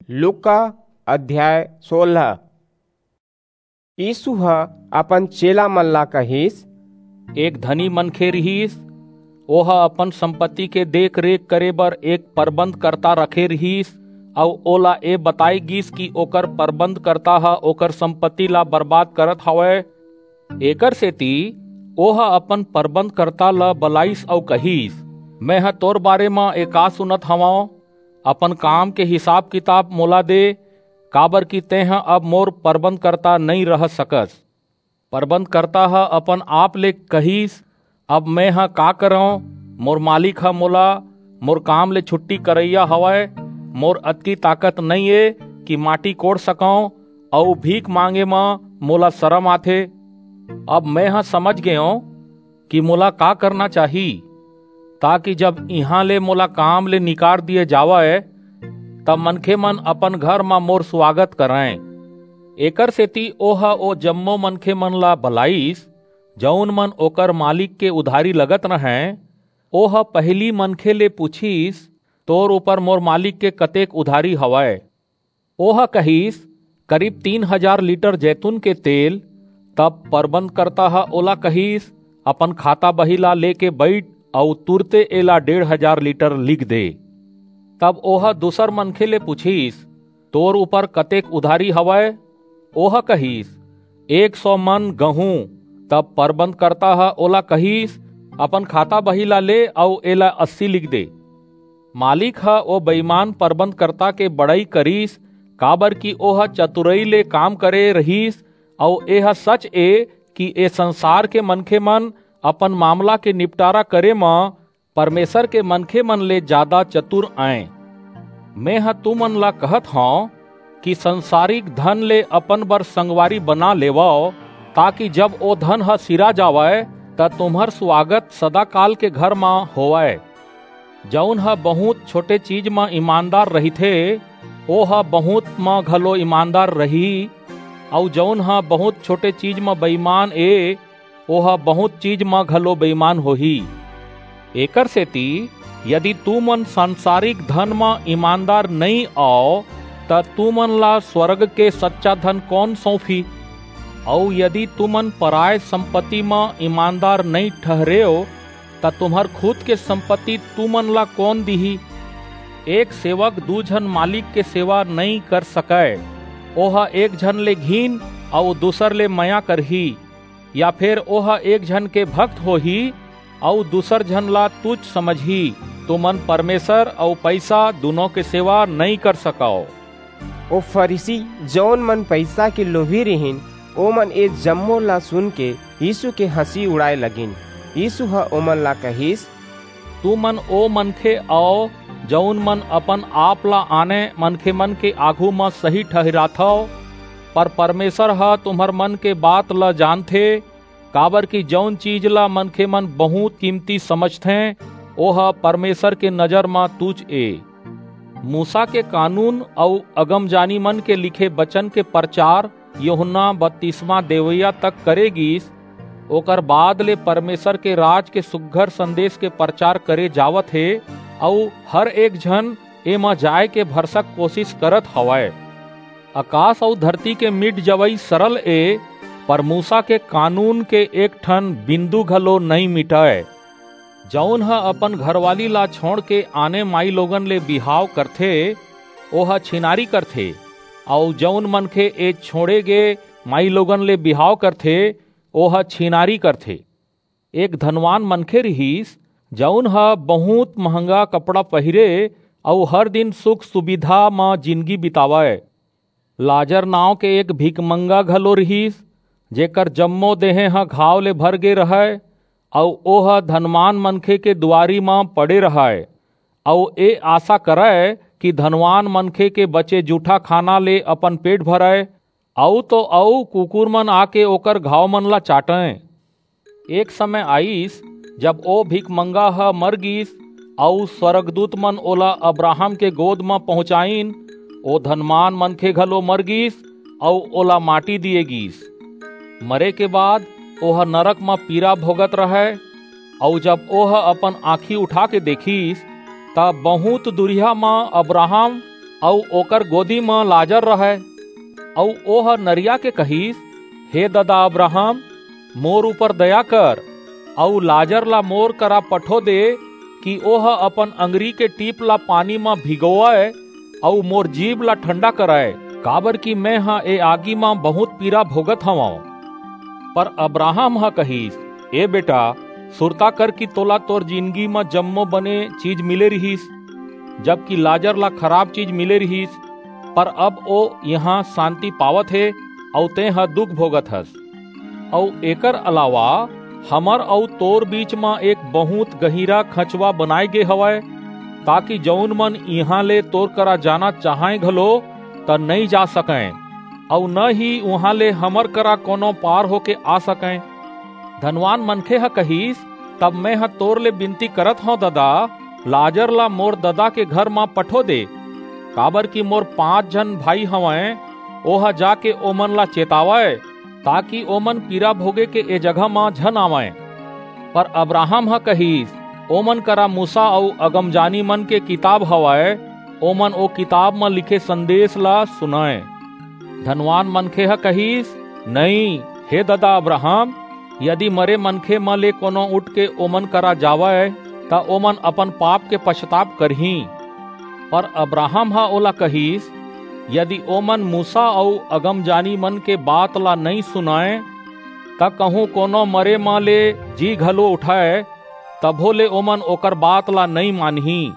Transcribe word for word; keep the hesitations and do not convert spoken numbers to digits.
लूका अध्याय सोलह। यीसू ह अपन चेला मन ला कहिस, एक धनी मनखे रिहिस, ओह अपन संपत्ति के देख-रेख करे बर एक परबंधकर्ता रखे रिहिस, अऊ ओला ए बताय गीस कि ओकर परबंधकर्ता ह ओकर संपत्ति ला बर्बाद करत हवय। एकरसेति ओह अपन परबंधकर्ता ला बलाईस अऊ कहिस, मेंह तोर बारे म ए का सुनत हवंव? अपन काम के हिसाब-किताब मोला दे, काबरकि तेंह अब मोर परबंधकर्ता नइं रह सकस। परबंधकर्ता ह अपन आप ले कहिस, अब मेंह का करंव? मोर मालिक ह मोला मोर काम ले छुट्टी करइया हवय। मोर अतकी ताकत नइं ए कि माटी कोड़ सकंव, अऊ भीख मांगे म मोला सरम आथे। अब मेंह समझ गेंव कि मोला का करना चाही, ताकि जब इहां ले मोला काम ले निकार दिये जावय, तब मनखेमन अपन घर म मोर सुवागत करंय। एकरसेति ओह ओ जम्मो मनखेमन ला बलाईस, जऊन मन ओकर मालिक के उधारी लगत रहंय। ओह पहिली मनखे ले पुछिस, तोर ऊपर मोर मालिक के कतेक उधारी हवय? ओह कहिस, करीब तीन हजार लीटर जैतून के तेल। तब परबंधकर्ता ह ओला कहिस, अपन खाता-बही ला लेके बईठ अऊ तुरते एला डेढ़ हजार लीटर लिख दे। तब ओह दूसर मनखे ले पुछिस, तोर ऊपर कतेक उधारी हवय? ओह कहिस, एक सौ मन गहूं। तब परबंधकर्ता ह ओला कहिस, अपन खाता-बही ला ले अऊ एला अस्सी लिख दे। मालिक ह ओ बेईमान परबंधकर्ता के बड़ई करिस, काबरकि ओह चतुरई ले काम करे रिहिस, अऊ एह सच ए कि ए संसार के मनखेमन अपन मामला के निपटारा करे म परमेसर के मनखेमन ले जादा चतुर अंय। मेंह तुमन ला कहत हंव कि संसारिक धन ले अपन बर संगवारी बना लेवव, ताकि जब ओ धन ह सिरा जावय, त तुम्हर सुवागत सदाकाल के घर म होवय। जऊन ह बहुंत छोटे चीज म ईमानदार रहिथे, ओह बहुंत म घलो ईमानदार रहिही, अऊ जऊन ह बहुंत छोटे चीज म बेईमान ए, ओह बहुंत चीज म घलो बेईमान होही। एकरसेति यदि तुमन संसारिक धन म ईमानदार नइं अव, त तुमन ला स्वर्ग के सच्चा धन कोन सऊंपही? अऊ यदि तुमन पराय संपत्ति म ईमानदार नइं ठहरेव, त तुम्हर खुद के संपत्ति तुमन ला कोन दिही? एक सेवक दू झन मालिक के सेवा नइं कर सकय। ओह एक झन ले घिन अऊ दूसर ले मया करही, या फेर ओह एक झन के भक्त होही अऊ दूसर झन ला तुच्छ समझही। तुमन परमेसर अऊ पईसा दूनों के सेवा नइं कर सकव। ओ फरीसी, जऊन मन पईसा के लोभी रिहिन, ओमन ए जम्मो ला सुनके यीसू के हंसी उड़ाय लगिन। यीसू ह ओमन ला कहिस, तुमन ओ मनखे अव, जऊन मन अपन-आप ला आने मनखेमन के आघू म सही ठहिराथव, पर परमेसर ह तुम्हर मन के बात ला जानथे, काबरकि जऊन चीज ला मनखेमन बहुंत कीमती समझथें, ओह परमेसर के नजर म तुच्छ ए। मूसा के कानून अऊ अगमजानीमन के लिखे बचन के परचार यूहन्ना बतिसमा देवइया तक करे गीस, ओकर बाद ले परमेसर के राज के सुघर संदेस के परचार करे जावत हे, अऊ हर एक झन एमा जाय के भरसक कोसिस करत हवय। अकास अऊ धरती के मिट जवई सरल ए, पर मूसा के कानून के एक ठन बिंदु घलो नइं मिटय। जऊन ह अपन घरवाली ला छोंड़के आने माईलोगन ले बिहाव करथे, ओह छिनारी करथे, अऊ जऊन मनखे ए छोंड़े गे माईलोगन ले बिहाव करथे, ओह छिनारी करथे। एक धनवान मनखे रिहिस, जऊन ह बहुंत महंगा कपड़ा पहिरे अऊ हर दिन सुख-सुबिधा म जिनगी बितावय। लाजर नांव के एक भिखमंगा घलो रिहिस, जेकर जम्मो देहें ह घाव ले भर गे रहय, अऊ ओह धनवान मनखे के दुवारी म पड़े रहय, अऊ ए आसा करय कि धनवान मनखे के बचे जूठा खाना ले अपन पेट भरय, अऊ तो अऊ कुकुरमन आके ओकर घावमन ला चाटंय। एक समय आईस, जब ओ भिखमंगा ह मर गीस, अऊ स्वरगदूतमन ओला अब्राहम के गोद म पहुंचाईन। ओ धनवान मनखे घलो मर गीस, अऊ ओला माटी दिये गीस। मरे के बाद ओह नरक म पीरा भोगत रहय, अऊ जब ओह अपन आंखी उठाके देखिस, त बहुंत दूरिहा म अब्राहम अऊ ओकर गोदी म लाजर रहय। अऊ ओह नरिया के कहिस, हे ददा अब्राहम, मोर ऊपर दया कर, अऊ लाजर ला मोर करा पठो दे, कि ओह अपन अंगरी के टीप ला पानी म भिगोवय, अऊ मोर जीभ ला ठंडा करय, काबर कि मेंह ए आगी म बहुंत पीरा भोगत हवंव। पर अब्राहम ह कहिस, ए बेटा, सुरता कर कि तोला तोर जिनगी म जम्मो बने चीज मिले रिहिस, जबकि लाजर ला खराब चीज मिले रिहिस, पर अब ओ इहां सांति पावत हे, अऊ तेंह दुख भोगत हस। अऊ एकर अलावा हमर अऊ तोर बीच म एक बहुंत गहिरा खंचवा बनाय गे हवय, ताकि जऊन मन इहां ले तोर करा जाना चाहंय घलो, त नइं जा सकंय, अऊ न ही उहां ले हमर करा कोनो पार होके आ सकंय। धनवान मनखे ह कहिस, तब मेंह तोर ले बिनती करत हंव ददा, लाजर ला मोर ददा के घर म पठो दे, काबर कि मोर पांच झन भाई हवंय, ओह जाके ओमन ला चेतावय, ताकि ओमन पीरा भोगे के ए जगह म झन आवंय। पर अब्राहम ह कहिस, ओमन करा मूसा अऊ अगमजानी मन के किताब हवय, ओमन ओ किताब म लिखे संदेस ला सुनंय। धनवान मनखे ह कहिस, नइं, हे ददा अब्राहम, यदि मरे मनखे म ले कोनो उठ के ओमन करा जावय, त ओमन अपन पाप के पछताप करहीं। पर अब्राहम ह ओला कहिस, यदि ओमन मूसा अऊ अगमजानी मन के बात ला नइं सुनंय, त कहूं कोनो मरे म ले जी घलो उठय, तभो ले ओमन ओकर बात ला नइं मानहीं।